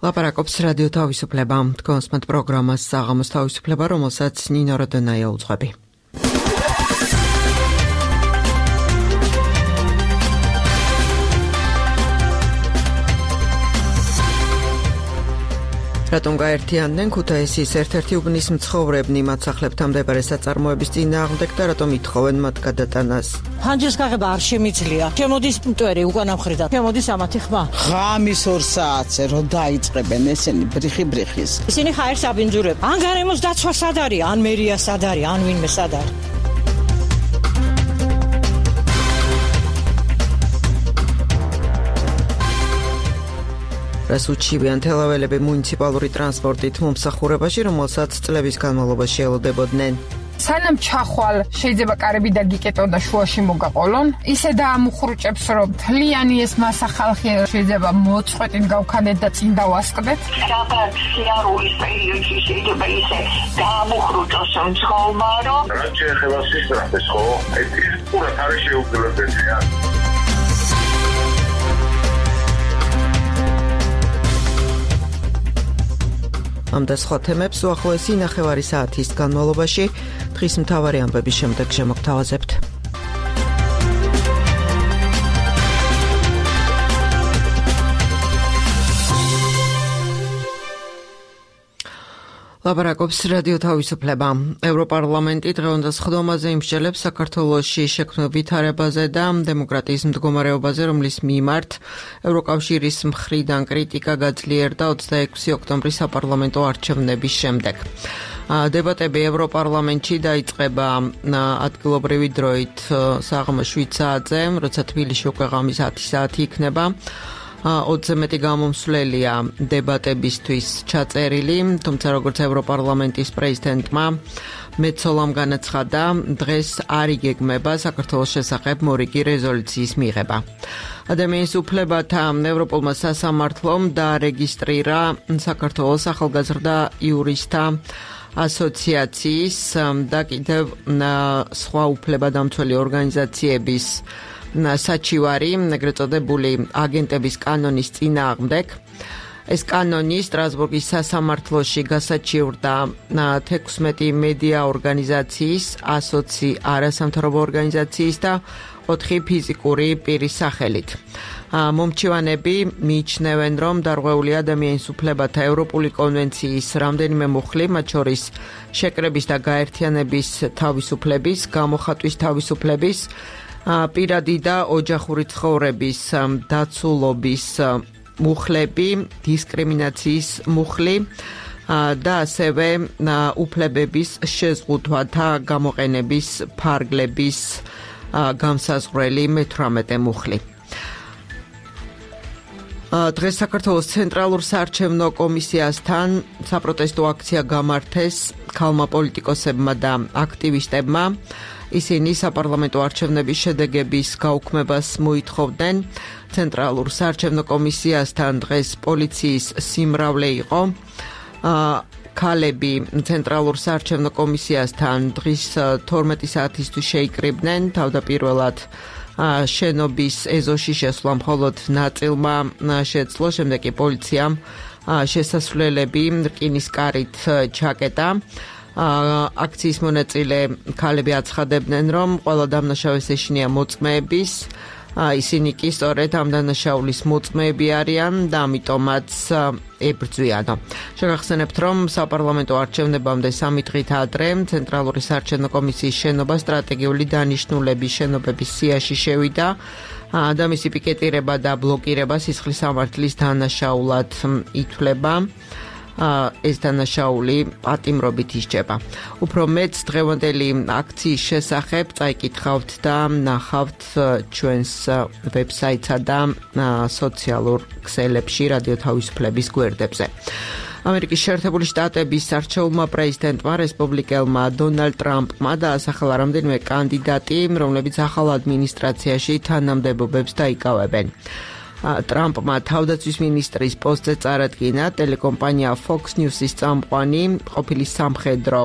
ლაპარაკობს რადიო თავისუფლება. თქვენს პროგრამას საღამოს თავისუფლება, რომელსაც ნინო როდონაია უძღვები. რატომ გაერთიანდნენ ქუთაისის ერთ-ერთი უბნის მცხოვრებნი მაცახლებთან მდებარე საწარმოების წინააღმდეგ და რატომ ითხოვენ მათ გადატანას? ფანჯრის გაღება არ შემიძლია. შემოდის მტვერი უკანა მხრიდან. შემოდის ამათი ხმა. ღამის 2 საათზე რო დაიწყებენ ესენი ბრიხის. ისინი ხაერს აბინძურებენ. ან გარემოს დაცვა სად არის, ან მერია სად არის, ან ვინმე სად არის. რასუჩივიან თელაველები მუნიციპალური ტრანსპორტით მომსახურებაში, რომელსაც წლების განმავლობაში ელოდებოდნენ. სანამ ჩახვალ შეიძლება კარები დაგიკეტონ და შუაში მოგაყოლონ, ისე დაამუხრუჭებს, რომ თლიანი ეს მასა ხალხი შეიძლება მოწყვეტით გავქანდეთ და წინ დავასყდეთ. Რაღაც სიარულის პერიოდში შეიძლება ისე დაამუხრუჭოს მძღოლმა, რომ რაც შეეხება სისწრაფეს, ხო? ეს პურად არის შეუძლებელია. ამ და სხვა თემებს უახლოესი ნახევარი საათის განმავლობაში დღის მთავარი ამბების შემდეგ შემოგთავაზებთ. ლაპარაკობს რადიო თავისუფლება. ევროპარლამენტი დღევანდელ სხდომაზე იმსჯელებს საქართველოში შექმნილ ვითარებაზე და დემოკრატიის მდგომარეობაზე, რომლის მიმართ ევროკავშირის მხრიდან კრიტიკა გაძლიერდა 26 ოქტომბრის საპარლამენტო არჩევნების შემდეგ. დებატები ევროპარლამენტში დაიწყება ადგილობრივი დროით საღამოს 7 საათზე, როცა თბილისში უკვე ღამის 10 საათი იქნება. 20 მეტი გამომსვლელია დებატებისთვის ჩაწერილი, თუმცა როგორც ევროპარლამენტის პრეზიდენტმა მეცოლამ განაცხადა, დღეს არ იგეგმება საქართველოს შესახებ მორიგი რეზოლუციის მიღება. ადამიანის უფლებათა ევროპულმა სასამართლომ დაარეგისტრირა საქართველოს ახალგაზრდა იურისტთა ასოციაციის და კიდევ სხვა უფლებადამცველი ორგანიზაციების საჩივარი, ეგრეთ წოდებული აგენტების კანონის წინააღმდეგ. ეს კანონი სტრასბურგის სასამართლოში გასაჩივრდა 16 მედია ორგანიზაციის, 120 არასამთავრობო ორგანიზაციის და 4 ფიზიკური პირის სახელით. მომჩივანები მიიჩნევენ, რომ დარღვეული ადამიანის უფლებათა ევროპული კონვენციის რამდენიმე მუხლი, მათ შორის შეკრების და გაერთიანების თავისუფლების, გამოხატვის თავისუფლების, პირადი და ოჯახური ცხოვრების დაცულობის მუხლები, დისკრიმინაციის მუხლი და ასევე უფლებების შეზღუდვათა გამოყენების ფარგლების გამსაზღვრელი 18 მუხლი. დღეს საქართველოს ცენტრალურ საარჩევნო კომისიასთან საპროტესტო აქცია გამართეს ქალმა პოლიტიკოსებმა და აქტივისტებმა. ისინი საპარლამენტო არჩევნების შედეგების გაუქმებას მოითხოვდნენ. ცენტრალურ საარჩევნო კომისიასთან დღეს პოლიციის სიმრავლე იყო. ქალები ცენტრალურ საარჩევნო კომისიასთან დღის 12 საათისთვის შეიკრიბნენ. თავდაპირველად შენობის ეზოში შესვლა მხოლოდ ნაწილმა შეძლო, შემდეგ კი პოლიციამ შესასვლელები რკინის კარით ჩაკეტა. აქციის მონაწილე ქალები აცხადებდნენ, რომ ყველა დამნაშავეს ეშინია მოწმეების, ისინი კი სწორედ ამ დანაშაულის მოწმეები არიან და ამიტომაც ებრძვიანო. შეგახსენებთ, რომ საპარლამენტო არჩევნებამდე 3 დღით ადრე ცენტრალური საარჩევნო კომისიის შენობა სტრატეგიული დანიშნულების შენობების სიაში შევიდა და მისი პიკეტირება და ბლოკირება სისხლის სამართლის დანაშაულად ითვლება. ეს დანაშაული პატიმრობით ისჯება. უფრო მეც დღევანდელი აქციის შესახებ წაიკითხავთ და ნახავთ ჩვენს ვებსაიტსა და სოციალურ ქსელებში რადიო თავისუფლების გვერდებზე. ამერიკის შეერთებული შტატების არჩეულმა პრეზიდენტმა რესპუბლიკელმა დონალდ ტრამპმა დაასახელა რამდენიმე კანდიდატი, რომლებიც ახალ ადმინისტრაციაში თანამდებობებს დაიკავებენ. ტრამპმა თავდაცვის მინისტრის პოსტზე წარადგინა ტელეკომპანია Fox News-ის წამყვანი, ყოფილი სამხედრო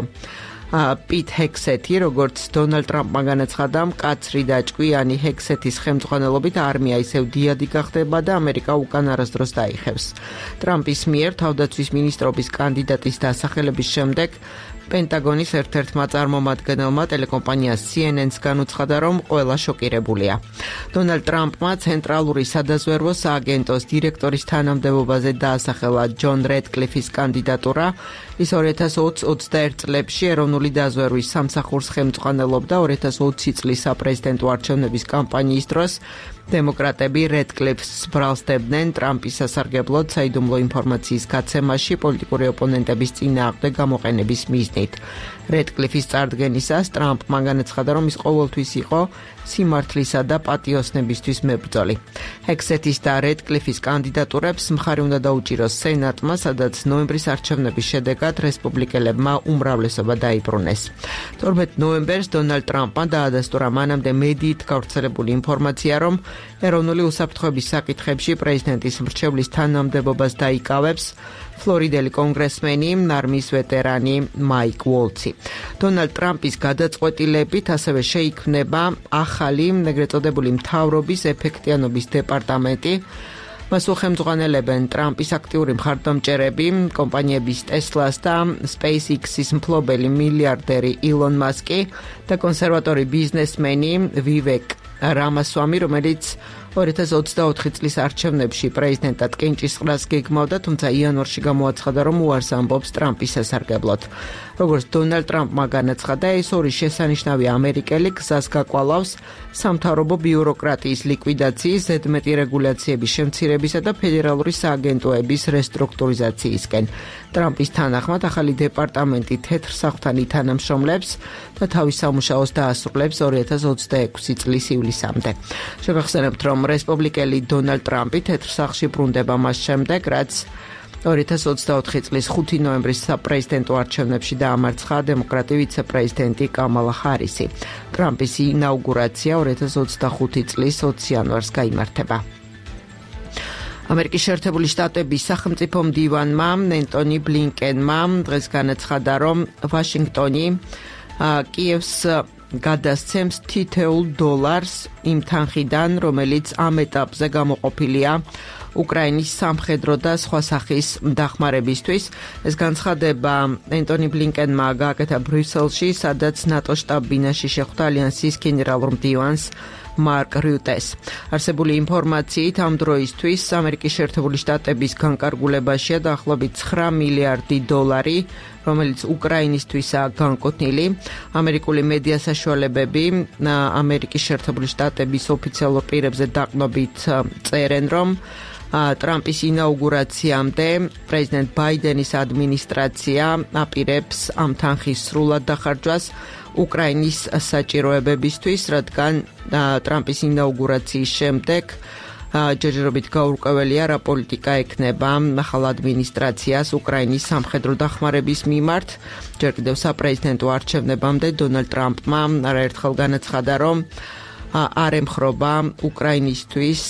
პიტ ჰექსეთი, როგორც დონალდ ტრამპმა განაცხადა, მკაცრი და ჭკვიანი ჰექსეთის ხელმძღვანელობით არმია ისევ დიადი გახდება და ამერიკა უკან არასდროს დაიხევს. ტრამპის მიერ თავდაცვის მინისტრობის კანდიდატის დასახელების შემდეგ პენტაგონის ერთ-ერთმა წარმომადგენელმა ტელეკომპანია CNN-ს განუცხადა, რომ ყველა შოკირებულია. დონალდ ტრამპმა ცენტრალური სადაზვერვო სააგენტოს დირექტორის თანამდებობაზე დაასახელა ჯონ რედკლიფის კანდიდატურა. ის 2020-21 წლებში ეროვნული დაზვერვის სამსახურს ხელმძღვანელობდა 2020 წლის საპრეზიდენტო არჩევნების კამპანიის დროს. დემოკრატები რედკლიფს ბრალსდებდნენ ტრამპის სასარგებლოდ საიდუმლო ინფორმაციის გაცემაში პოლიტიკური ოპონენტების წინააღმდეგ გამოყენების მიზნით. რედკლიფის წარდგენისას ტრამპმა განაცხადა, რომ ის ყოველთვის იყო სიმართლისა და პატიოსნებისთვის მებრძოლი. ჰექსეთის და რედკლიფის კანდიდატურებს მხარი უნდა დაუჭიროს სენატმა, სადაც ნოემბრის არჩევნების შედეგად რესპუბლიკელებმა უმრავლესობა დაიბრუნეს. 12 ნოემბერს დონალდ ტრამპმა დაადასტურა მანამდე მედიით გავრცელებული ინფორმაცია, რომ ეროვნული უსაფრთხოების საკითხებში პრეზიდენტის მრჩევლის თანამდებობას დაიკავებს ფლორიდელი კონგრესმენი, არმიის ვეტერანი მაიკ უოლცი. დონალდ ტრამპის გადაწყვეტილებით ასევე შეიქმნება ახალი, ეგრეთ წოდებული მთავრობის ეფექტიანობის დეპარტამენტი. მას უხელმძღვანელებენ ტრამპის აქტიური მხარდამჭერები, კომპანიების Tesla-ს და SpaceX-ის მფლობელი მილიარდერი ილონ მასკი და კონსერვატორი ბიზნესმენი ვივეკ რამასვამი, რომელიც 2024 წლის არჩევნებში პრეზიდენტად კენჭისყრას გეგმავდა, თუმცა იანვარში გამოაცხადა, რომ უარს ამბობს ტრამპის სასარგებლოდ. როგორც დონალდ ტრამპმა განაცხადა, ეს ორი შესანიშნავი ამერიკელი გზას გაკვალავს სამთავრობო ბიუროკრატიის ლიკვიდაციის, ზედმეტი რეგულაციების შემცირებისა და ფედერალური სააგენტოების რესტრუქტურიზაციისკენ. ტრამპის თანახმად ახალი დეპარტამენტი თეთრ სახლთან ითანამშრომლებს და თავის სამუშაოს დაასრულებს 2026 წლის ივლისამდე. შევახსენებთ, რომ რესპუბლიკელი დონალდ ტრამპი თეთრ სახლში ბრუნდება მას შემდეგ, რაც 2024 წლის 5 ნოემბრის საპრეზიდენტო არჩევნებში დაამარცხა დემოკრატი ვიცე-პრეზიდენტი კამალა ჰარისი. ტრამპის ინაუგურაცია 2025 წლის 20 იანვარს გაიმართება. ამერიკის შეერთებული შტატების სახელმწიფო მდივანმა ენტონი ბლინკენმა დღეს განაცხადა, რომ ვაშინგტონი კიევს გადასცემს თითოეულ დოლარს იმ თანხიდან, რომელიც ამ ეტაპზე გამოყოფილია უკრაინის სამხედრო და სხვა სახის დახმარებისთვის. ეს განცხადება ენტონი ბლინკენმა გააკეთა ბრიუსელში, სადაც ნატოს შტაბ-ბინაში შეხვდა ალიანსის გენერალურ მდივანს მარკ რიუტეს. არსებული ინფორმაციით ამ დროისთვის ამერიკის შეერთებული შტატების განკარგულებაშია დაახლოებით 9 მილიარდი დოლარი, რომელიც უკრაინისთვისაა განკუთვნილი. ამერიკული მედია საშუალებები ამერიკის შეერთებული შტატების ოფიციალურ პირებზე დაყნობით წერენ, რომ ტრამპის ინაუგურაციამდე პრეზიდენტ ბაიდენის ადმინისტრაცია აპირებს ამ თანხის სრულად დახარჯვას უკრაინის საჭიროებებისთვის, რადგან ტრამპის ინაუგურაციის შემდეგ ჯერჯერობით გაურკვეველია, რა პოლიტიკა ექნება ახალ ადმინისტრაციას უკრაინის სამხედრო დახმარების მიმართ. ჯერ კიდევ საპრეზიდენტო არჩევნებამდე დონალდ ტრამპმა არაერთხელ განაცხადა, რომ არ ემხრობა უკრაინისთვის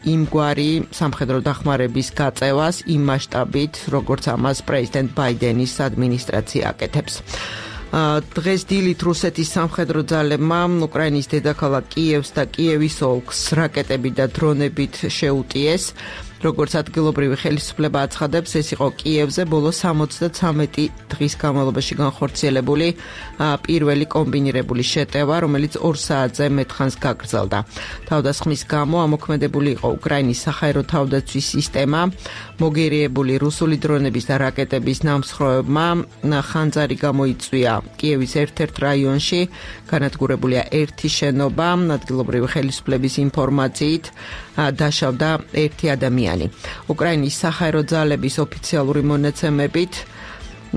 იმგვარი სამხედრო დახმარების გაწევას იმ მასშტაბით, როგორც ამას პრეზიდენტ ბაიდენის ადმინისტრაცია აკეთებს. დღეს დილით რუსეთის სამხედრო ძალებმა უკრაინის დედაქალაქ კიევს და კიევის ოლქს რაკეტები და დრონებით შეუტიეს. როგორც ადგილობრივი ხელისუფლება აცხადებს, ეს იყო კიევზე ბოლო 73 დღის განმავლობაში განხორციელებული პირველი კომბინირებული შეტევა, რომელიც 2 საათზე მეტხანს გაგრძელდა. თავდასხმის გამო ამოქმედებული იყო უკრაინის საჰაერო თავდაცვის სისტემა, მოგერიებული რუსული დრონების და რაკეტების ნამსხვრევებმა ხანძარი გამოიწვია კიევის ერთ-ერთ რაიონში, განადგურებულია ერთი შენობა, ადგილობრივი ხელისუფლების ინფორმაციით დაშავდა ერთი ადამიანი. უკრაინის საჰაერო ძალების ოფიციალური მონაცემებით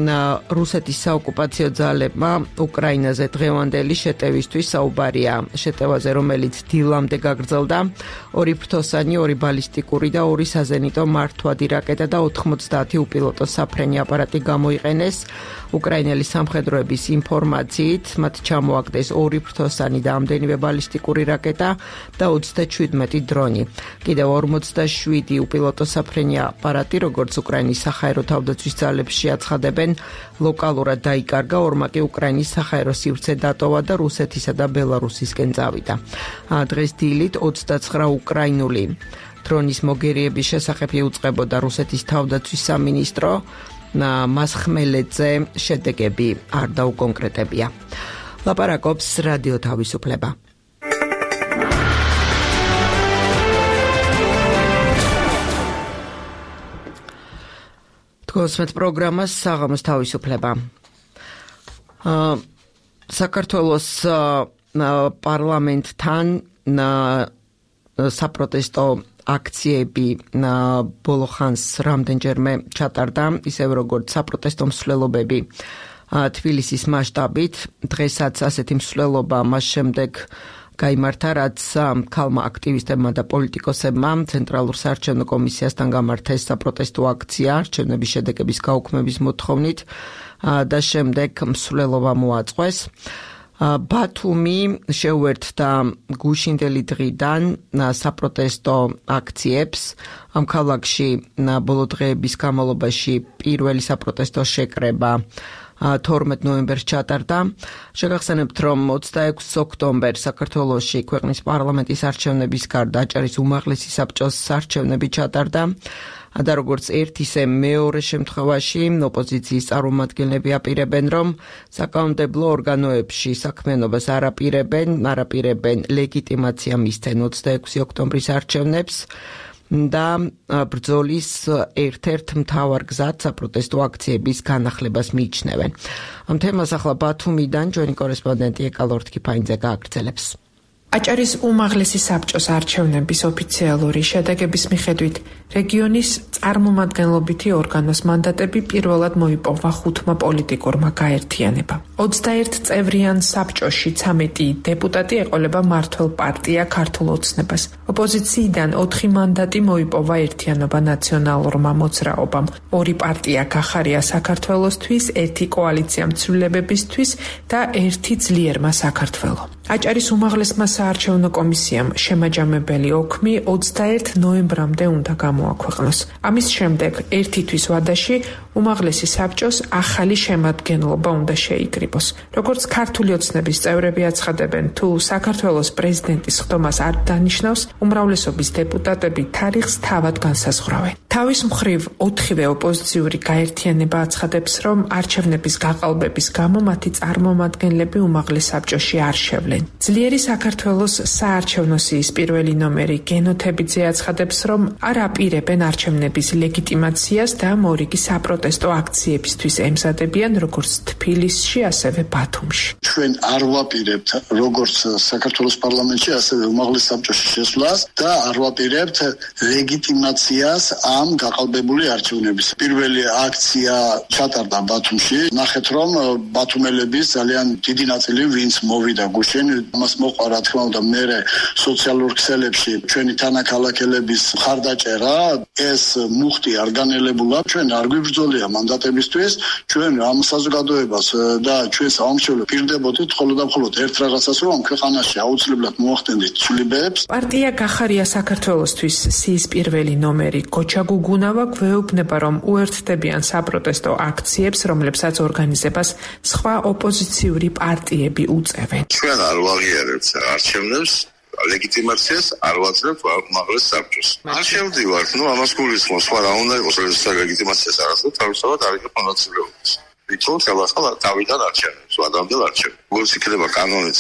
რუსეთის საოკუპაციო ძალებმა უკრაინაზე დღევანდელი შეტევისთვის საუბარია. შეტევაზე, რომელიც დილამდე გაგრძელდა, 2 ფრთოსანი, 2 ბალისტიკური და 2 საზენიტო მართვადი რაკეტა და 90 უპილოტო საფრენი აპარატი გამოიყენეს. უკრაინელი სამხედროების ინფორმაციით, მათ ჩამოაგდეს 2 ფრთოსანი და ამდენივე ბალისტიკური რაკეტა და 37 დრონი. კიდევ 47 უპილოტო საფრენი აპარატი, როგორც უკრაინის საჰაერო თავდაცვის ძალებში აცხადებენ, იღებენ. ლოკალურად დაიკარგა, ორმა კი უკრაინის საჰაერო სივრცე დატოვა და რუსეთისა და ბელარუსისკენ წავიდა. დღეს დილით 29 უკრაინული დრონის მოგერიების შესახებ იუწყებოდა რუსეთის თავდაცვის სამინისტრო. მას ხმელეთზე შედეგები არ დაუკონკრეტებია. ლაპარაკობს რადიო თავისუფლება. თქოსმეთ პროგრამას საღამოს თავისუფლება. საქართველოს პარლამენტთან საპროტესტო აქციები ბოლო ხანს რამდენჯერმე ჩატარდა, ისევ როგორც საპროტესტო მსვლელობები თბილისის მასშტაბით. დღესაც ასეთი მსვლელობა მას შემდეგ გაიმართა, რაც ქალმა აქტივისტებმა და პოლიტიკოსებმა ცენტრალურ საარჩევნო კომისიასთან გამართეს საპროტესტო აქცია არჩევნების შედეგების გაუქმების მოთხოვნით და შემდეგ მსვლელობა მოაწყვეს. ბათუმი შეუერთდა გუშინდელი დღიდან საპროტესტო აქციებს. ამ ქალაქში ბოლო დღეების განმავლობაში პირველი საპროტესტო შეკრება 12 ნოემბერს ჩატარდა. შეგახსენებთ, რომ 26 ოქტომბერს საქართველოში ქვეყნის პარლამენტის არჩევნების გარდა აჭარის უმაღლესი საბჭოს არჩევნები ჩატარდა. და როგორც ერთ ისე მეორე შემთხვევაში ოპოზიციის წარმომადგენლები აპირებენ, რომ საკანონმდებლო ორგანოებში საქმიანობას არ აპირებენ ლეგიტიმაცია მისცენ 26 ოქტომბრის არჩევნებს და ბრძოლის ერთ-ერთ მთავარ გზად საპროტესტო აქციების განახლებას მიიჩნევენ. ამ თემას ახლა ბათუმიდან ჩვენი კორესპონდენტი ეკალორთ კიფაინძე გააგრძელებს. აჭარის უმაღლესი საბჭოს არჩევნების ოფიციალური შედეგების მიხედვით რეგიონის წარმომადგენლობითი ორგანოს მანდატები პირველად მოიპოვა 5 პოლიტიკურმა გაერთიანებამ. 21 წევრიან საბჭოში 13 დეპუტატი ეყოლება მმართველ პარტია ქართულ ოცნებას. ოპოზიციიდან 4 მანდატი მოიპოვა ერთიანობა ნაციონალურმა მოძრაობამ. 2 პარტია გახარია საქართველოსთვის, 1 კოალიცია მცვლილებებისთვის და 1 ძლიერმა საქართველო. აჭარის უმაღლესმა საარჩევნო კომისიამ შემაჯამებელი ოქმი 21 ნოემბრამდე უნდა გამოაქვეყნოს. ამის შემდეგ ერთი თვის ვადაში უმაღლესი საბჭოს ახალი შემადგენლობა უნდა შეიკრიბოს. როგორც ქართული ოცნების წევრები აცხადებენ, თუ საქართველოს პრეზიდენტის ხდომას არ დანიშნავს, უმრავლესობის დეპუტატები თარიღს თავად განსაზღვრავენ. თავის მხრივ 4-ვე ოპოზიციური გაერთიანება აცხადებს, რომ არჩევნების გაყალბების გამო მათი წარმომადგენლები უმაღლეს საბჭოში არ შევლენ. ძლიერი საქართველოს საარჩევნო სიის პირველი ნომერი გენოთებიძე აცხადებს, რომ არ აპირებენ არჩევნების ლეგიტიმაციას და მორიგი საპროტესტო აქციებისთვის ემზადებიან როგორც თბილისში, ასევე ბათუმში. ჩვენ არ ვაპირებთ როგორც საქართველოს პარლამენტში, ასევე უმაღლეს საბჭოში შესვლას და არ ვაპირებთ ლეგიტიმაციას ამ გაყალბებული არჩევნების. პირველი აქცია ჩატარდა ბათუმში. ნახეთ, რომ ბათუმელების ძალიან დიდი ნაწილი ვინც მოვიდა გუშინ, მას მოყვა რა თქმა უნდა მერე სოციალურ ქსელებში ჩვენი თანაქალაქელების მხარდაჭერა. ეს მუხტი არ განელებულა, ჩვენ არ გვიბრძოლია მანდატებისთვის, ჩვენ ამ საზოგადოებას და ჩვენ საომშობლო პირდებოდით მხოლოდ და მხოლოდ ერთ რაღაცას, რომ ქვეყანაში აუცილებლად მოახდენდით ცვლილებებს. პარტია გახარია საქართველოსთვის სიის პირველი ნომერი გოჩა გუგუნავა გვეუბნება, რომ უერთდებიან საპროტესტო აქციებს, რომლებსაც ორგანიზებას სხვა ოპოზიციური პარტიები უწევენ. ჩვენ არ ვაღიარებთ არჩევნებს, ლეგიტიმაციას არ ვაძლევთ უმაღლეს საბჭოს. არ შევდივართ, ამას გულისხმობს, სხვა რა უნდა იყოს, რომ ლეგიტიმაციას არ აძლევთ, თავისთავად არ იქნება მონაწილეობის. ვიტყოდ ხელახლა თავიდან არჩევნებს, ვადამდელ არჩევნებს. როგორც იქნება კანონიც,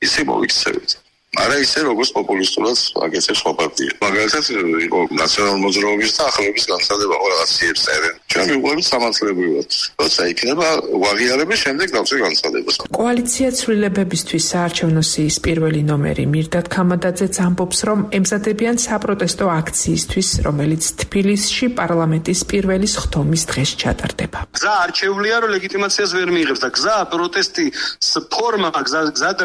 ისე მოვიქცევით. არა ისე როგორც პოპულისტურად აგეცებს სხვა პარტია. მაგალითად იყო ნაციონალურ მოძრაობის და ახალების განცხადება ხო რაღაციებს წერენ. ჩვენ მივყვებით სამართლებრივად. როცა იქნება ვაღიარების შემდეგ დავწერ განცხადებას. კოალიცია ცვლილებებისთვის საარჩევნო სიის პირველი ნომერი მირდად ქამადაძეც ამბობს, რომ ემზადებიან საპროტესტო აქციისთვის, რომელიც თბილისში პარლამენტის პირველი ხდომის დღეს ჩატარდება. გზა არჩეულია, რომ ლეგიტიმაციას ვერ მიიღებს და გზა პროტესტის ფორმა,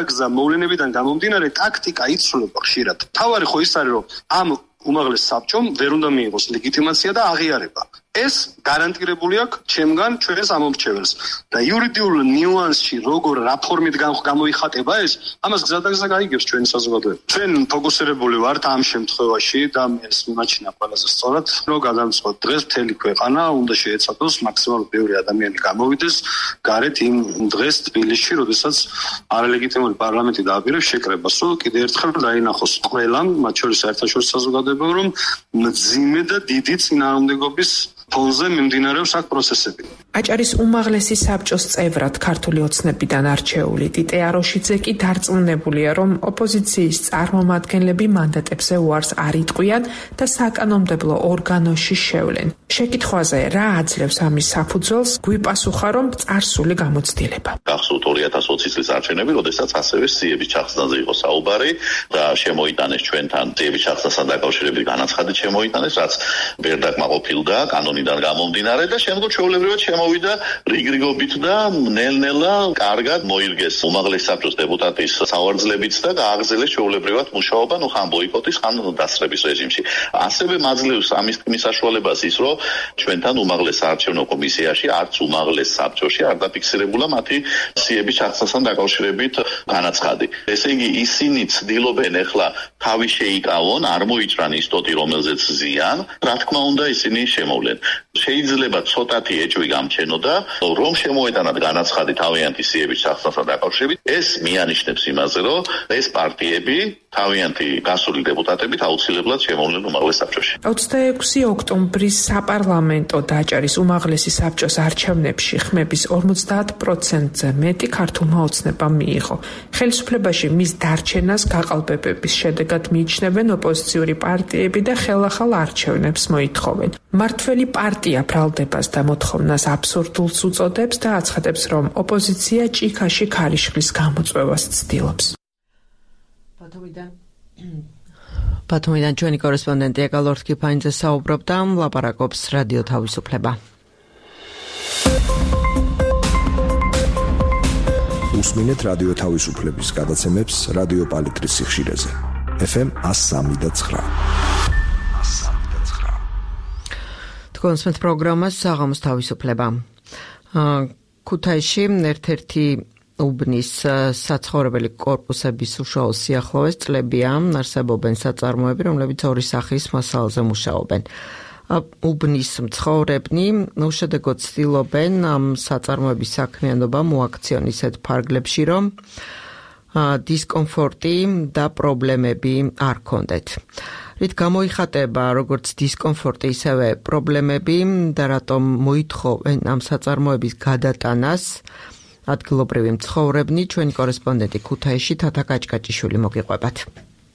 გზა მოვლენებიდან გამომდინარე ტაქტიკა იცვლება ხშირად. თავარი ხო ის არის, რომ ამ უმაღლეს საბჭომ ვერ უნდა მიიღოს ლეგიტიმაცია და აღიარება. ეს გარანტირებული აქვს ჩემგან ჩვენს ამომრჩეველს და იურიდიულ ნიუანსში როგორ რა ფორმით გამოიხატება ეს ამას გზადაგზა გაიგებს ჩვენი საზოგადოება. ჩვენ ფოკუსირებული ვართ ამ შემთხვევაში და ეს მიმაჩნია ყველაზე სწორად რომ გადამწყვეტ დღეს მთელი ქვეყანა უნდა შეეცადოს მაქსიმალურად ბევრი ადამიანი გამოვიდეს გარეთ იმ დღეს თბილისში, როდესაც არალეგიტიმური პარლამენტი დააპირებს შეკრებას, რომ კიდევ ერთხელ დაინახოს ყველამ, მათ შორის საერთაშორისო საზოგადოებამ, რომ მძიმე და დიდი წინააღმდეგობის ფონზე მიმდინარეობს აქ პროცესები. აჭარის უმაღლესი საბჭოს წევრად ქართული ოცნებიდან არჩეული ტიტე აროშიძე კი დარწმუნებულია, რომ ოპოზიციის წარმომადგენლები მანდატებზე უარს არ იტყვიან და საკანონმდებლო ორგანოში შევლენ. შეკითხვაზე რა აძლევს ამის საფუძველს, გვიპასუხა, რომ წარსული გამოცდილება. გახსოვთ 2020 წლის არჩევნები, როდესაც ასევე სიების ჩახსნაზე იყო საუბარი და შემოიტანეს ჩვენთან სიების ჩახსნასთან დაკავშირებით განაცხადით შემოიტანეს, რაც ვერ დაკმაყოფილდა კანონიდან გამომდინარე და შემდგომ ჩვეულებრივად შემოვიდა რიგრიგობით და ნელ-ნელა კარგად მოირგეს უმაღლეს საბჭოს დეპუტატის სავარძლებით და გააგრძელეს ჩვეულებრივად მუშაობა ხან ბოიკოტის, ხან დასწრების რეჟიმში. ასევე მაძლევს ამის თქმის საშუალებას ის, რომ ჩვენთან უმაღლეს საარჩევნო კომისიაში არც უმაღლეს საბჭოში არ დაფიქსირებულა მათი სიების ჩახსნასთან დაკავშირებით განაცხადი. ესე იგი ისინი ცდილობენ ახლა თავი შეიკავონ, არ მოიჭრან ის ტოტი, რომელზეც ზიან, რა თქმა უნდა ისინი შემოვლენ. შეიძლება ცოტათი ეჭვი გამჩენოდა, რომ შემოეტანათ განაცხადი თავიანთი სიების ჩახსნასთან დაკავშირებით, ეს მიანიშნებს იმაზე, რომ ეს პარტიები თავიანთი გასული დეპუტატებით აუცილებლად შემოვლენ უმაღლეს საბჭოში. 26 ოქტომბრის საპარლამენტო და აჭარის უმაღლესი საბჭოს არჩევნებში ხმების 50%-ზე მეტი ქართულმა ოცნებამ მიიღო. ხელისუფლებაში მის დარჩენას გაყალბებების შედეგად მიიჩნევენ ოპოზიციური პარტიები და ხელახალ არჩევნებს მოითხოვენ. მართველი პარტია ბრალდებას და მოთხოვნას აბსურდულს უწოდებს და აცხადებს, რომ ოპოზიცია ჭიქაში ქარიშხლის გამოწვევას ცდილობს. ბათუმიდან ჩვენი კორესპონდენტი აკალორთ კიფაინძე საუბრობდა, ლაპარაკობს რადიო თავისუფლება. უსმინეთ რადიო თავისუფლების გადაცემებს რადიო პალიტრის სიხშირეზე. FM 103.9. კონსმეთ პროგრამას საღამოს თავისუფლება. ქუთაისში ერთ-ერთი უბნის საცხოვრებელი კორპუსების უშუალო სიახლოვეს წლებია არსებობენ საწარმოები, რომლებიც ორი სახის მასალაზე მუშაობენ. უბნის მცხოვრებნი უშედეგოდ ცდილობენ ამ საწარმოების საქმიანობა მოაქციონ ისეთ ფარგლებში, რომ დისკომფორტი და პრობლემები არ ქონდეთ. რით გამოიხატება როგორც დისკომფორტი, ისევე პრობლემები და რატომ მოითხოვენ ამ საწარმოების გადატანას ადგილობრივი მცხოვრებნი, ჩვენი კორესპონდენტი ქუთაისში თათა კაჭკაჭიშვილი მოგიყვებათ.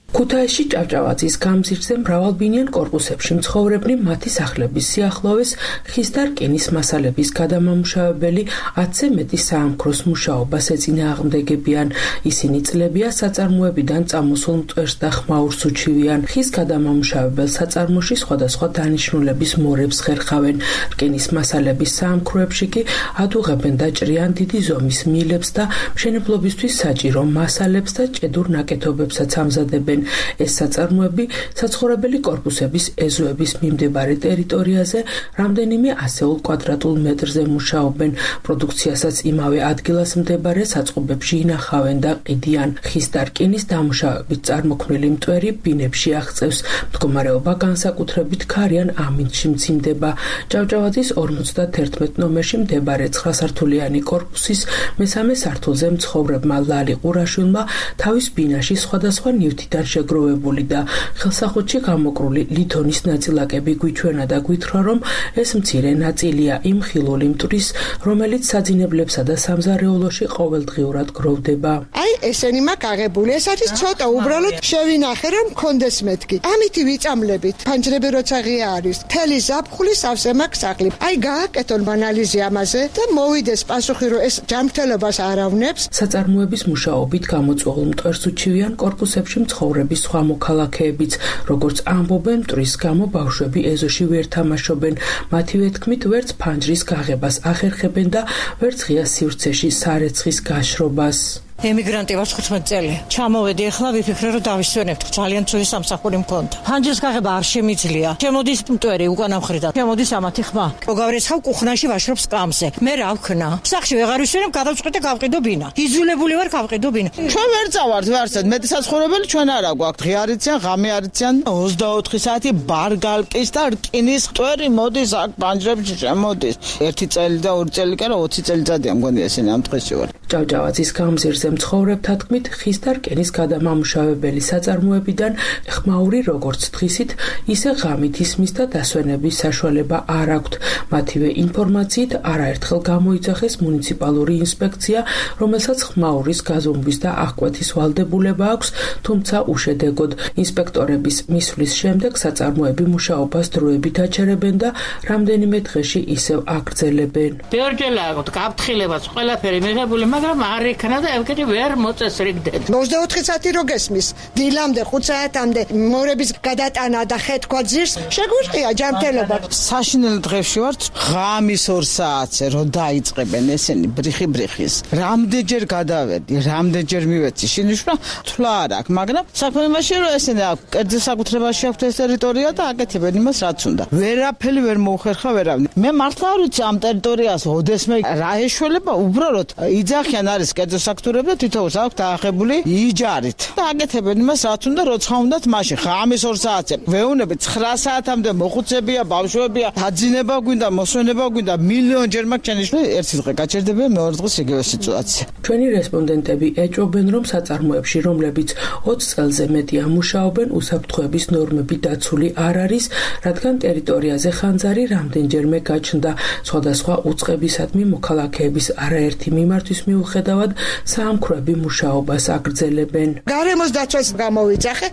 ქუთაისში ჭავჭავაძის გამზირზე მრავალბინიან კორპუსებში მცხოვრებნი მათი სახლების სიახლოვეს ხის და რკინის მასალების გადამამუშავებელი 10-ზე მეტი საამქროს მუშაობას ეწინააღმდეგებიან. ისინი წლებია საწარმოებიდან წამოსულ მტვერს და ხმაურს უჩივიან. ხის გადამამუშავებელ საწარმოში სხვადასხვა დანიშნულების მორებს ხერხავენ. რკინის მასალების საამქროებში კი ადუღებენ და ჭრიან დიდი ზომის მილებს და მშენებლობისთვის საჭირო მასალებს და ჭედურ ნაკეთობებსაც ამზადებენ. ეს საწარმოები საცხოვრებელი კორპუსების ეზოების მიმდებარე ტერიტორიაზე რამდენიმე ასეულ კვადრატულ მეტრზე მუშაობენ. პროდუქციასაც იმავე ადგილას მდებარე საწყობებში ინახავენ და ყიდიან. ხის და რკინის დამუშავებით წარმოქმნილი მტვერი ბინებში აღწევს. მდგომარეობა განსაკუთრებით ქარიან ამინდში მძიმდება. ჭავჭავაძის 51 ნომერში მდებარე 9-სართულიანი კორპუსის მესამე სართულზე მცხოვრებმა ლალი ყურაშვილმა თავის ბინაში სხვადასხვა ნივთიდან შეგროვებული და ხელსაყრელში გამოკრული ლითონის ნაწილაკები გვიჩვენა და გვითხრა, რომ ეს მცირე ნაწილია იმ ხილული მტვრის, რომელიც საძინებლებსა და სამზარეულოში ყოველდღიურად გროვდება. აი, ესენი მაქვს აღებული. ეს არის ცოტა უბრალოდ შევინახე, რომ მქონდეს მეთქი. ამითი ვიწამლებით. ფანჯრები როცა ღია არის, თელი ზაფხული სავსე მაქვს სახლი. აი, გააკეთონ ანალიზი ამაზე და მოვიდეს პასუხი, რომ ეს ჯანმრთელობას არ ავნებს. საწარმოების მუშაობით გამოწვეულ მტვერს უჩივიან კორპუსებში მცხოვრების სხვა მოქალაქეებიც, როგორც ამბობენ, მტვრის გამო ბავშვები ეზოში ვერ თამაშობენ. მათივე თქმით, ვერც ფანჯრის გაღებას ახერხებენ და ვერც ღია სივრცეში სარეცხის გაშრობას. ემიგრანტი ვარ 15 წელი. ჩამოვედი ახლა ვიფიქრე რომ დავისვენებთ. ძალიან ცუდი სამსახური მქონდა. ფანჯრის გაღება არ შემიძლია. შემოდის მტვერი უკან ამხრიდან. შემოდის ამათი ხმა. მოგავერეცხავ კუხნაში ვაშრობ სკამზე. მე რა ვქნა? სახში ვეღარ ვისვენებ, გადავწყვეტე გავყიდო ბინა. იძულებული ვარ გავყიდო ბინა. ჩვენ ვერ წავართ ვარცად. მეტი საცხოვრებელი ჩვენ არა გვაქვს. ღი არიციან, ღამე არიციან. 24 საათი ბარგალკის და რკინის მტვერი მოდის აქ ფანჯრებში შემოდის. 1 წელი და 2 წელი კი არა 20 წელიწადია მგონია ესენი ამ დღეში ვარ. ჭავჭავაძის გამზირზე მცხოვრებთა თქმით, ხის და რკინის გადამამუშავებელი საწარმოებიდან ხმაური როგორც დღისით, ისე ღამით ისმის და დასვენების საშუალება არ აქვთ. მათივე ინფორმაციით არაერთხელ გამოიძახეს მუნიციპალური ინსპექცია, რომელსაც ხმაურის გაზომვის და აღკვეთის ვალდებულება აქვს, თუმცა უშედეგოდ. ინსპექტორების მისვლის შემდეგ საწარმოები მუშაობას დროებით აჩერებენ და რამდენიმე დღეში ისევ აგრძელებენ. ბევრჯერ აქვთ გაფრთხილებაც ყველაფერი მიღებული, მაგრამ არ იქნა და ევგენი ვერ მოწესრიგდეთ. 24 საათი რო გესმის, დილამდე 5 საათამდე მორების გადატანა და ხეთქვა ძირს, შეგვიწყია ჯანმრთელობა. საშინელ დღეში ვართ, ღამის 2 საათზე რო დაიწყებენ ესენი ბრიხის. რამდენჯერ გადავედი, რამდენჯერ მივეცი შინიშვა, თვლა არ აქვს, მაგრამ საქმე იმაში რომ ესენი კერძის საკუთრებაში აქვს ეს ტერიტორია და აკეთებენ იმას რაც უნდა. ვერაფერი ვერ მოუხერხა ვერავინ. მე მართლა არ ვიცი ამ ტერიტორიას ოდესმე რა ეშველება უბრალოდ იძახიან არის კერძო საკუთრება თითოეულს აქვს დაახებული იჯარით. და აკეთებენ იმას რაც უნდა როცა უნდათ მაშინ ღამის 2 საათზე. ვეუნები 9 საათამდე მოხუცებია, ბავშვებია, დაძინება გვინდა, მოსვენება გვინდა, მილიონჯერ მაქვს ჩანიშნული ერთი დღე გაჩერდებია მეორე დღეს იგივე სიტუაცია. ჩვენი რესპონდენტები ეჭვობენ რომ საწარმოებში რომლებიც 20 წელზე მეტია მუშაობენ უსაფრთხოების ნორმები დაცული არ არის, რადგან ტერიტორიაზე ხანძარი რამდენჯერმე გაჩნდა. სხვადასხვა უწყებისადმი მოქალაქეების არაერთი მიმართვის მიუხედავად საამქროები მუშაობას აგრძელებენ. გარემოს დაცვას გამოვიძახე,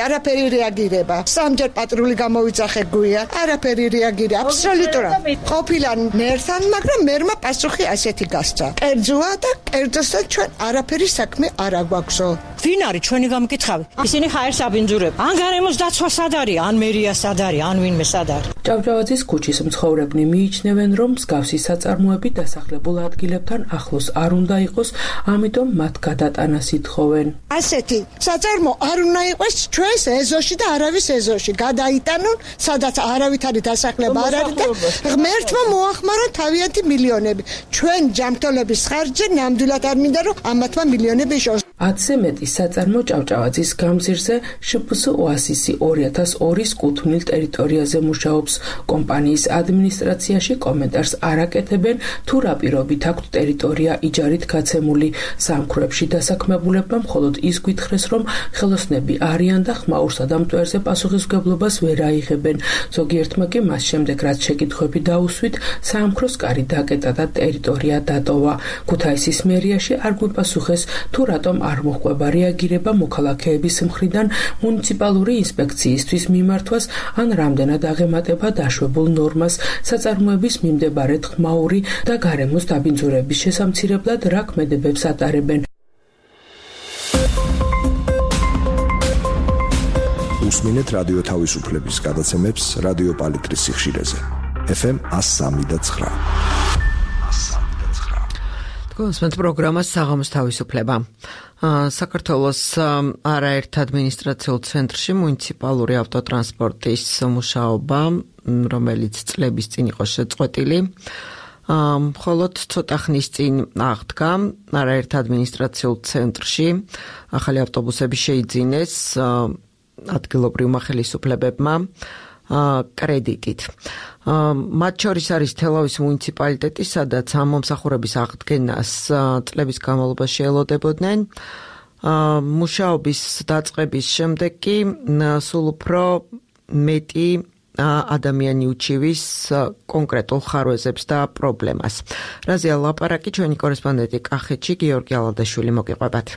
არაფერი რეაგირება. სამჯერ პატრული გამოვიძახე გვია, არაფერი რეაგირება. აბსოლუტურად. ყოფილა მერთან, მაგრამ მერმა პასუხი ასეთი გასცა. კერძოა და კერძოსთან ჩვენ არაფერი საქმე არ აგვაქვსო. ვინ არის ჩვენი გამკითხავი? ისინი ჰაერს აბინძურებენ. ან გარემოს დაცვა სად არის, ან მერია სად არის, ან ვინმე სად არის. ჭავჭავაძის ქუჩის მცხოვრებნი მიიჩნევენ, რომ მსგავსი საწარმოები დასახლებულ ადგილებთან ახლოს არ უნდა იყოს, ამიტომ მათ გადატანას ითხოვენ. ასეთი საწარმო არ უნდა იყოს ჩვენს ეზოში და არავის ეზოში. გადაიტანონ, სადაც არავითარი დასახლება არ არის და ღმერთმა მოახმარა თავიანთი მილიონები. ჩვენ ჯანმრთელობის ხარჯზე ნამდვილად არ მინდა რომ ამათმა მილიონები შორს. 10-ზე მეტი საწარმო ჭავჭავაძის გამზირზე შფს ოასისი 2002-ის კუთვნილ ტერიტორიაზე მუშაობს. კომპანიის ადმინისტრაციაში კომენტარს არ აკეთებენ, თუ რა პირობით აქვთ ტერიტორია იჯარით გაცემული. საამქროებში დასაქმებულებმა მხოლოდ ის გითხრეს, რომ ხელოსნები არიან და ხმაურსა და მტვერზე პასუხისმგებლობას ვერ აიღებენ. ზოგიერთმა კი მას შემდეგ რაც შეკითხვები დაუსვით, საამქროს კარი დაკეტა და ტერიტორია დატოვა. ქუთაისის მერიაში არ გვიპასუხეს, თუ რატომ არ მოჰყვება რეაგირება მოქალაქეების მხრიდან მუნიციპალური ინსპექციისთვის მიმართვას ან რამდენად აღემატება დაშვებულ ნორმას საწარმოების მიმდებარედ ხმაური და გარემოს დაბინძურების შესამცირებლად რა ქმედებებს ატარებენ. უსმინეთ რადიო თავისუფლების გადაცემებს რადიო პალიტრის სიხშირეზე. FM 103.9. გონსმენთ პროგრამას საღამოს თავისუფლება. საქართველოს არაერთ ადმინისტრაციულ ცენტრში მუნიციპალური ავტოტრანსპორტის მუშაობა, რომელიც წლების წინ იყო შეწყვეტილი, მხოლოდ ცოტა ხნის წინ აღდგა. არაერთ ადმინისტრაციულ ცენტრში ახალი ავტობუსები შეიძინეს ადგილობრივმა ხელისუფლებებმა კრედიტით. მათ შორის არის თელავის მუნიციპალიტეტი, სადაც ამ მომსახურების აღდგენას წლების განმავლობაში ელოდებოდნენ. მუშაობის დაწყების შემდეგ კი სულ უფრო მეტი ადამიანი უჩივის კონკრეტულ ხარვეზებს და პრობლემას. რაზეა ლაპარაკი ჩვენი კორესპონდენტი კახეთში გიორგი ალადაშვილი მოგიყვებათ.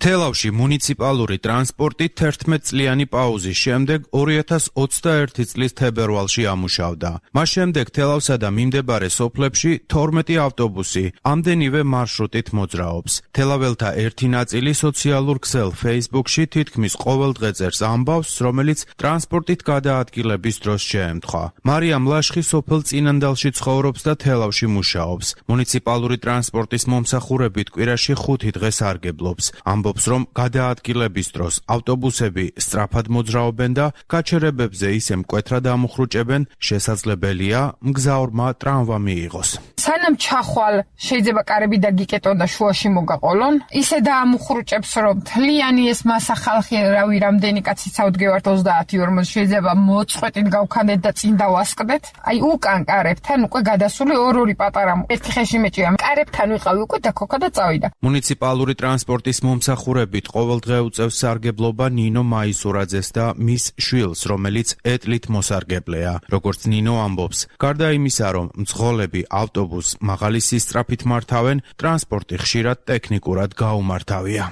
თელავში მუნიციპალური ტრანსპორტი 11 წლიანი პაუზის შემდეგ 2021 წლის თებერვალში ამუშავდა. მას შემდეგ თელავსა და მიმდებარე სოფლებში 12 ავტობუსი ამდენივე მარშრუტით მოძრაობს. თელაველთა ერთი ნაწილი სოციალურ ქსელ Facebook-ში თითქმის ყოველ დღე წერს ამბავს, რომელიც ტრანსპორტით გადაადგილების დროს შეემთხვა. მარიამ ლაშხი სოფელ წინანდალში ცხოვრობს და თელავში მუშაობს. მუნიციპალური ტრანსპორტის მომსახურებით კვირაში 5 დღე სარგებლობს. ამბობს, რომ გადაადგილების დროს ავტობუსები სწრაფად მოძრაობენ და გაჩერებებზე ისე მკვეთრად ამუხრუჭებენ, შესაძლებელია მგზავრმა ტრამვა მიიღოს. სანამ ჩახვალ შეიძლება კარები დაგიკეტონ და შუაში მოგაყოლონ, ისე დაამუხრუჭებს, რომ თლიანი ეს მასა ხალხი, რავი, რამდენი კაცი წავდგევართ 30-40, შეიძლება მოწყვეტით გავქანდეთ და წინ დავასკდეთ. აი უკან კარებთან უკვე გადასული ორი პატარა ერთი ხეში მეჭია. კარებთან ვიყავი უკვე და ქოქა და წავიდა. მუნიციპალური ტრანსპორტის მომსახურებით ყოველდღე უწევს სარგებლობა ნინო მაისურაძეს და მის შვილს, რომელიც ეტლით მოსარგებლეა. როგორც ნინო ამბობს, გარდა იმისა, რომ მძღოლები ავტობუსს მაღალი სისწრაფით მართავენ, ტრანსპორტი ხშირად ტექნიკურად გაუმართავია.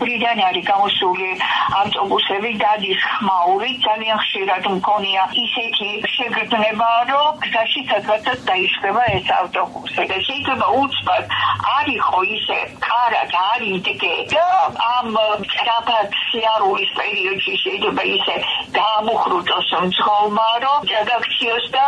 ხრიდან არის გამოსული ავტობუსები დადის ხმაურით, ძალიან ხშირად მქონია ისეთი შეგრძნება, რომ გზაში სადღაც დაიშლება ეს ავტობუსი. და შეიძლება უცბად არ იყო ისე კარად არ იდგე და ამ სწრაფად სიარულის პერიოდში შეიძლება ისე დაამუხრუჭოს მძღოლმა, რომ გადაგციოს და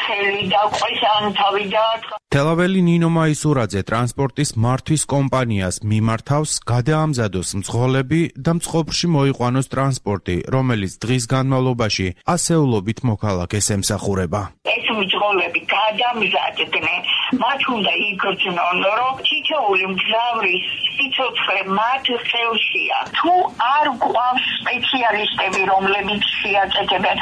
ხელი დაყვეს ან თავი დაარტყა. თელაველი ნინო მაისურაძე ტრანსპორტის მართვის კომპანიას მიმართავს გადაამზადოს მძღოლები და მწყობრში მოიყვანოს ტრანსპორტი, რომელიც დღის განმავლობაში ასეულობით მოქალაქეს ემსახურება. ეს მძღოლები გადამზადდნენ, მათ უნდა იგრძნონ, რომ თითოეული მგზავრის სიცოცხლე მათ ხელშია. თუ არ გვყავს სპეციალისტები, რომლებიც შეაწეთებენ,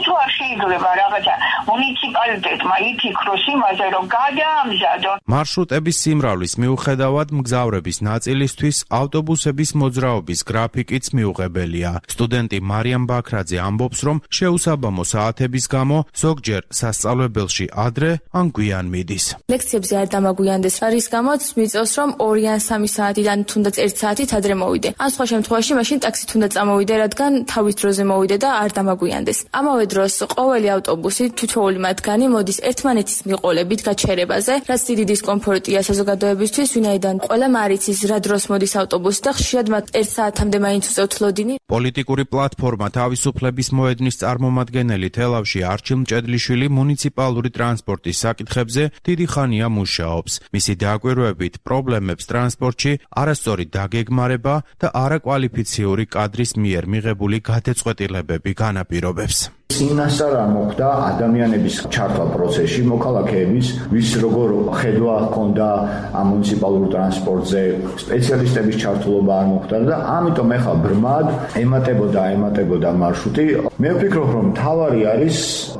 თუ არ შეიძლება რაღაცა მუნიციპალიტეტმა იფიქროს იმაზე, რომ გადაამზადონ. მარშრუტების სიმრავლის მიუხედავად მგზავრების ნაწილისთვის ავტობუსების მოძრაობის გრაფიკიც მიუღებელია. სტუდენტი მარიამ ბაქრაძე ამბობს, რომ შეუსაბამო საათების გამო ზოგჯერ სასწავლებელში ადრე ან გვიან მიდის. ლექციებზე არ დამაგვიანდეს, რის გამოც მიწევს, რომ 2 ან 3 საათიდან თუნდაც 1 საათით ადრე მოვიდე. ან სხვა შემთხვევაში მაშინ ტაქსით უნდა წამოვიდე, რადგან თავის დროზე მოვიდე და არ დამაგვიანდეს. ამავე დროს ყოველი ავტობუსი თითოეული მათგანი მოდის ერთმანეთის მიყოლებით გაჩერებაზე, რაც დიდი დისკომფორტია საზოგადოებისთვის, ვინაიდან ყველამ არ იცის რა დროს მოდის ავტობუსი და ხშირად მათ 1 საათამდე მაინც უწევთ ლოდინი. პოლიტიკური პლატფორმა თავისუფლების მოედნის წარმომადგენელი თელავში არჩილ მჭედლიშვილი მუნიციპალური ტრანსპორტის საკითხებზე დიდი ხანია მუშაობს. მისი დაკვირვებით პრობლემებს ტრანსპორტში არასწორი დაგეგმარება და არაკვალიფიციური კადრის მიერ მიღებული გადაწყვეტილებები განაპირობებს. წინასწარ მოხდა ადამიანების ჩართვა პროცესში, მოქალაქეების, ვის როგორ ხედვა ჰქონდა ამ მუნიციპალურ ტრანსპორტზე, სპეციალისტების ჩართულობა არ მოხდა და ამიტომ ეხლა ბრმად ემატებოდა მარშრუტი. მე ვფიქრობ, რომ თავარი არის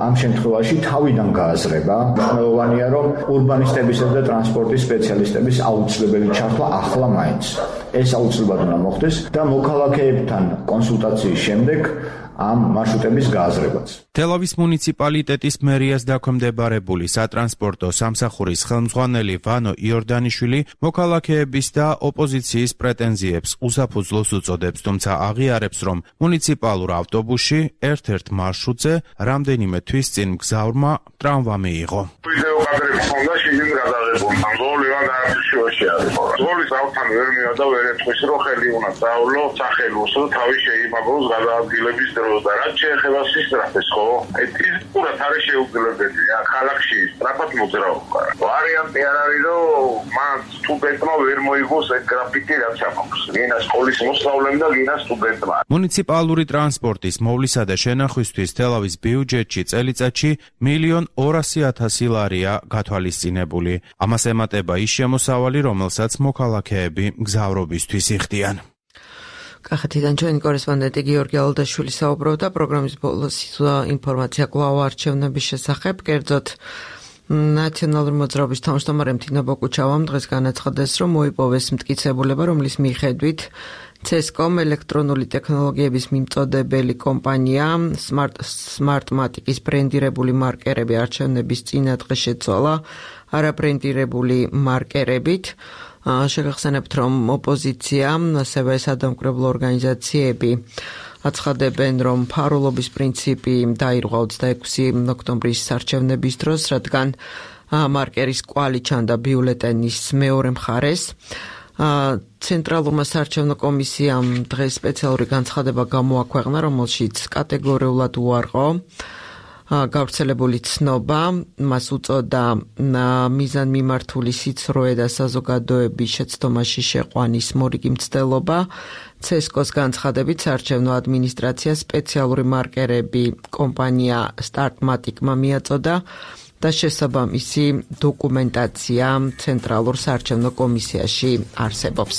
ამ შემთხვევაში თავიდან გააზრება. მნიშვნელოვანია, რომ ურბანისტებისა და ტრანსპორტის სპეციალისტების აუცილებელი ჩართვა ახლა მაინც. ეს აუცილებლად უნდა მოხდეს და მოქალაქეებთან კონსულტაციის შემდეგ ამ მარშრუტების გააზრებაც. თელავის მუნიციპალიტეტის მერიას დაქვემდებარებული სატრანსპორტო სამსახურის ხელმძღვანელი ვანო იორდანიშვილი მოქალაქეების და ოპოზიციის პრეტენზიებს უსაფუძვლოს უწოდებს, თუმცა აღიარებს, რომ მუნიციპალურ ავტობუსში ერთ-ერთ მარშრუტზე რამდენიმე თვის წინ მგზავრმა ტრამვა მიიღო. ვიდეო კადრები ჰქონდა შიგნით გადაღებული. მძღოლივან არჩევაში არის. მძღოლის ავთან ვერ მივა და ვერ ეთქვის, რომ ხელი უნდა წავლო სახელოს და თავი შეიმაგროს გადაადგილების დროს. და რაც შეეხება სისწრაფეს, ხო? ეს პურად არ შეუძლებელია ქალაქში სწრაფად მოძრაობა. ვარიანტი არ არის, რომ მან სტუდენტმა ვერ მოიგოს ეს გრაფიკი, რაც აქვს. გინა სკოლის მოსწავლემ და გინა სტუდენტმა. მუნიციპალური ტრანსპორტის მოვლისა და შენახვისთვის თელავის ბიუჯეტში წელიწადში 1.200.000 ლარია გათვალისწინებული. ამას ემატება ის შემოსავალი, რომელსაც მოქალაქეები მგზავრობისთვის იხდიან. კახეთიდან ჩვენი კორესპონდენტი გიორგი ალდაშვილი საუბრობდა პროგრამის ბოლოს ინფორმაცია კვლავ არჩევნების შესახებ, კერძოდ ნაციონალური მოძრაობის თავმჯდომარე მთინა ბოკუჩავამ დღეს განაცხადეს, რომ მოიპოვეს მტკიცებულება, რომლის მიხედვით CESCOM ელექტრონული ტექნოლოგიების მიმწოდებელი კომპანია Smartmatic-ის ბრენდირებული მარკერები არჩევნების წინადღე შეცვალა არაბრენდირებული მარკერებით. შეგახსენებთ, რომ ოპოზიცია, ასევე სადამკვირვებლო ორგანიზაციები აცხადებენ, რომ ფარულობის პრინციპი დაირღვა 26 ოქტომბრის არჩევნების დროს, რადგან მარკერის კვალი ჩანდა ბიულეტენის მეორე მხარეს. ცენტრალურმა საარჩევნო კომისიამ დღეს სპეციალური განცხადება გამოაქვეყნა, რომელშიც კატეგორიულად უარყო გავრცელებული ცნობა, მას უწოდა მიზანმიმართული სიცრუე და საზოგადოების შეცდომაში შეყვანის მორიგი მცდელობა. CESCO-ს განცხადებით საარჩევნო ადმინისტრაცია სპეციალური მარკერები კომპანია Startmatic-მა მიაწოდა და შესაბამისი დოკუმენტაცია ცენტრალურ საარჩევნო კომისიაში არსებობს.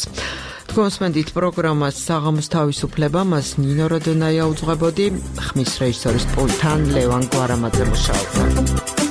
თქვენსმენდით პროგრამას საღამოს თავისუფლება, მას ნინო როდონაია უძღვებოდი, ხმის რეჟისორის პულტთან ლევან გვარამაძე მუშაობდა.